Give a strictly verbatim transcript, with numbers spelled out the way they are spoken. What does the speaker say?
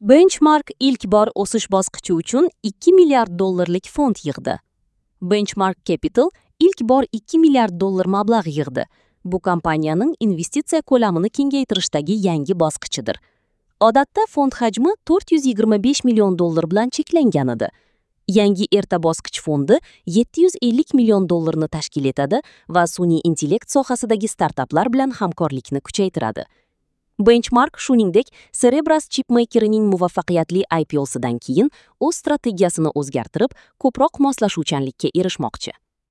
Benchmark ilk bor o'sish bosqichi uchun ikki milliard dollarlik fond yig'di. Benchmark Capital ilk bor ikki milliard dollar mablag' yig'di. Bu kompaniyaning investitsiya ko'lamini kengaytirishdagi yangi bosqichidir. Odatda fond hajmi to'rt yuz yigirma besh million dollar bilan cheklangan edi. Yangi erta bosqich fondi yetti yuz ellik million dollarni tashkil etadi va sun'iy intellekt sohasidagi startaplar bilan hamkorlikni kuchaytiradi. Benchmark shuningdek Cerebras chipmakerining muvaffaqiyatli I P O'sidan keyin o'z strategiyasini o'zgartirib, ko'proq moslashuvchanlikka erishmoqchi.